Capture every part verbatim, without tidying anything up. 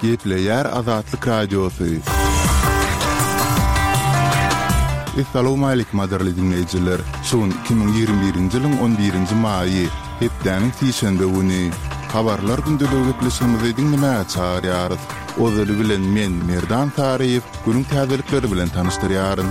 Gepleýär Azatlyk Radiosy. Essalawmaleýkim gadyrly diňleýjiler! Şu gün iki müň ýigrimi birinji ýylyň on birinji maýy, hepdäniň sişenbe güni. Habarlar gündeligi gepleşigimizi diňlemäge çagyrýarys. Ozaly bilen men, Merdan Saryýew, günüň täzelikleri bilen tanyşdyrýaryn.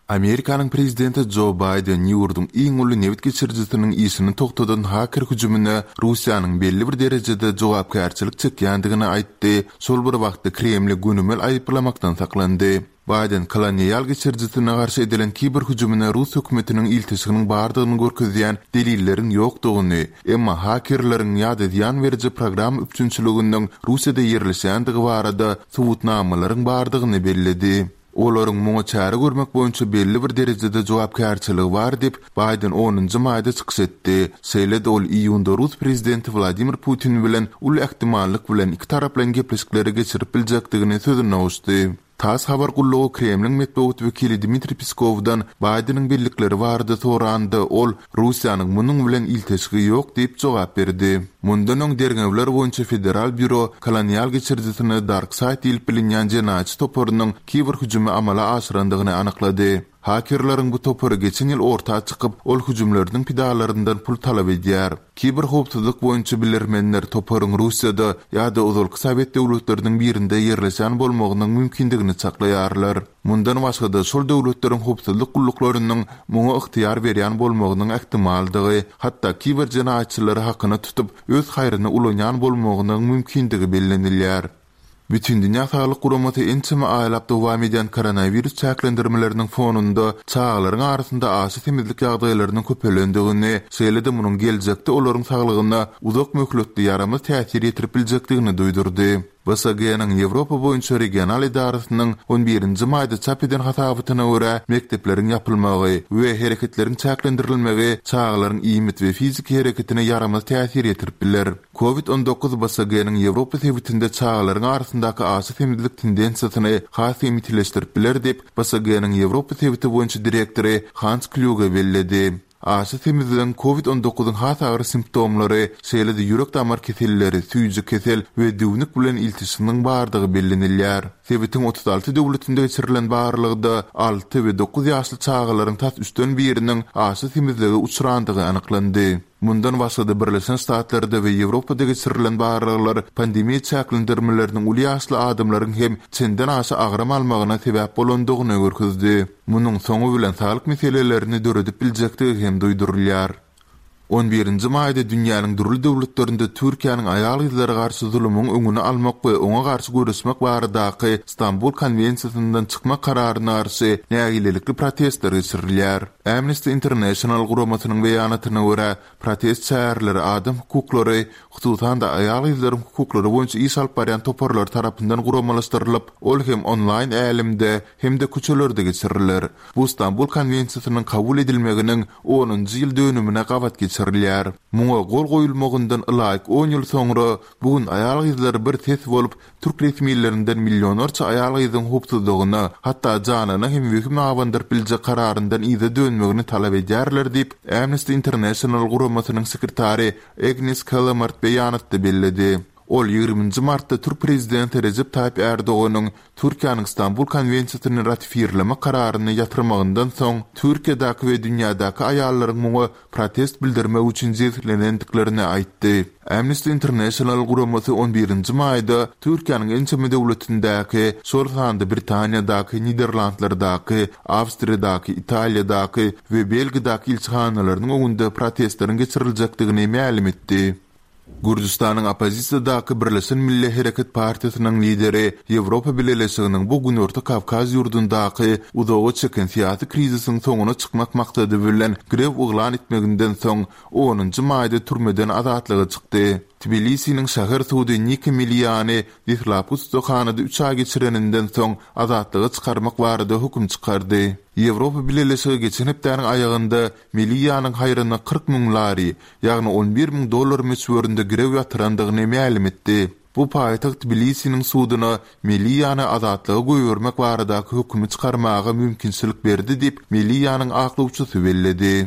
Amerikanyň prezidenti Jo Baýden ýurduň iň uly nebit geçirijisiniň işini togtadan haker hüjümine Russiýanyň belli bir derejede jogapkärçilik çekýändigini aýtdy, şol bir wagtda Kremli gönümel aýyplamakdan saklandy. Baýden kolonial geçirijisine garşy edilen kiber hüjümine rus hökümetiniň ilteşiginiň bardygyny görkezýän delilleriň ýokdugyny, emma hakerleriň ýa-da zyýan beriji programma üpjünçiliginiň Russiýada ýerleşýändigi barada subutnamalaryň bardygyny belledi. Olaryň muňa çäre görmek boýunça belli bir derejede jogapkärçiligi bar diýip, Baýden onunjy maýda çykyş etdi. Şeýle-de ol iýunda rus prezidenti Wladimir Putin bilen uly ähtimallyk bilen ikitaraplaýyn gepleşikleri geçirip biljekdigini sözüne goşdy. Tass habar gullugy Kremliň metbugat wekili Dmitriý Peskowdan Baýdeniň bellikleri barada soranda, ol, Russiýanyň munuň bilen ilteşigi ýok diýip jogap berdi. Mundan öň Derňewler boýunça federal býuro kolonial geçirijisine DarkSide diýlip bilinýän jenaýatçy toparynyň kiber hüjümi amala aşyrandygyny anyklady. Hakerleriň bu topary geçen ýyl orta çykyp, ol hüjümleriniň pidalaryndan pul talap edýär. Kiber howpsuzlyk boýunça bilermenler toparyň Russiýada ýa-da ozalky sowet döwletleriniň birinde ýerleşen bolmagynyň mümkindigini çaklaýarlar. Mundan başga-da, şol döwletleriň howpsuzlyk gulluklarynyň muňa ygtyýar berýän bolmagynyň ähtimaldygy, hatda kiber jenaýatçylary hakyna tutup, öz haýryna ulanýan bolmagynyň mümkindigi bellenilýär. Bütindünýä Saglyk Guramasy ençeme aýlap dowam edýän koronawirus çäklendirmeleriniň fonunda çagalaryň arasynda aşa semizlik ýagdaýlarynyň köpelendigini, şeýle-de munuň geljekde olaryň saglygyna uzak möhletli ýaramaz täsir ýetirip biljekdigini duýdurdy. B S G-niň Ýewropa boýunça regional edarasynyň on birinji maýda çap eden hasabatyna görä, mekdepleriň ýapylmagy we hereketleriň çäklendirilmegi çagalaryň iýmit we fiziki hereketine ýaramaz täsir ýetirip biler. Covid on dokuz B S G-niň Ýewropa sebitinde çagalaryň arasyndaky aşa semizlik tendensiýasyny has hem ýitileşdirip biler diýip, B S G-niň Ýewropa sebiti boýunça direktory Hans Klýuge belledi. Aşa semizligiň Covid on dokuzyň has agyr simptomlary, şeýle-de ýürek-damar keselleri, süýji kesel we düwnük bilen ilteşiginiň bardygy bellenilýär. Sebitiň otuz alty döwletinde geçirilen barlagda alty we dokuz ýaşly çagalaryň tas üçden biriniň aşa semizlige uçrandygy anyklandy. Mundan başga-da Birleşen Ştatlarda we Ýewropada geçirilen barlaglar pandemiýa çäklendirmeleriniň uly ýaşly adamlaryň hem çenden aşa agram almagyna sebäp bolandygyny görkezdi. Munuň soňy bilen saglyk meselelerini döredip biljekdigi hem duýdurylýar. On birinji maýda dünýäniň dürli döwletlerinde Türkiýäniň aýal-gyzlara garşy zulumyň öňüni almak we oňa garşy göreşmek baradaky Stambul konwensiýasyndan çykmak kararyna garşy nägilelikli protestler geçirilýär. Amnesty International guramasynyň beýanatyna görä, protest çäreleri adam hukuklary, hususan-da aýal-gyzlaryň hukuklary boýunça iş alyp barýan toparlar tarapyndan guramalaşdyrylyp, ol hem onlaýn älemde hem-de köçelerde geçiriler. Bu Stambul konwensiýasynyň kabul edilmeginiň onunjy ýyl dönümine gabat geçirilýär. Muňa gol goýulmagyndan ylaýyk on ýyl soňra bu gün aýal-gyzlar bir ses bolup, türk resmilerinden millionlarça aýal-gyzyň howpsuzlygyna, hatda janyna hem wehim abandyryp biljek kararyndan yza dönmegini talap edýärler diýip, Amnesty International guramasynyň sekretary Agnes Callamard beýanatda belledi. Ol ýigriminji martda türk prezidenti Rejep Taýyp Erdoganyň Türkiýäniň Stambul konwensiýasyny ratifirlemek kararyny ýatyrmagyndan soň Türkiýedäki we dünýädäki aýallaryň muňa protest bildirmek üçin jebislenendiklerini aýtdy. Amnesty International guramasy on birinji maýda Türkiýäniň ençeme döwletindäki, şol sanda Britaniýadaky, Niderlandlardaky, Awstriýadaky, Italiýadaky we Belgiýadaky ilçihanalarynyň öňünde protestleriň geçiriljekdigini mälim etdi. Gürjüstanyň oppozisiýadaky Birleşen Milli Hereket partiýasynyň lideri Ýewropa Bileleşiginiň bu Günorta Kawkaz ýurdundaky uzaga çeken syýasy krizisiň soňuna çykmak maksady bilen grew yglan etmeginden soň onunjy maýda türmeden azatlyga çykdy. Tbilisiniň şäher sudy Nika Meliany deslapky tussaghanada üç aý geçireninden soň azatlyga çykarmak barada höküm çykardy. Ýewropa Bileleşigi geçen hepdäniň aýagynda Melianyň haýryna kyrk müň lari, ýagny on bir müň dollar möçberinde girew ýatyrandygyny mälim etdi. Bu paýtagt Tbilisiniň suduna Meliany azatlyga goýbermek baradaky hökümi çykarmaga mümkinçilik berdi diýip, Melianyň aklawçysy belledi.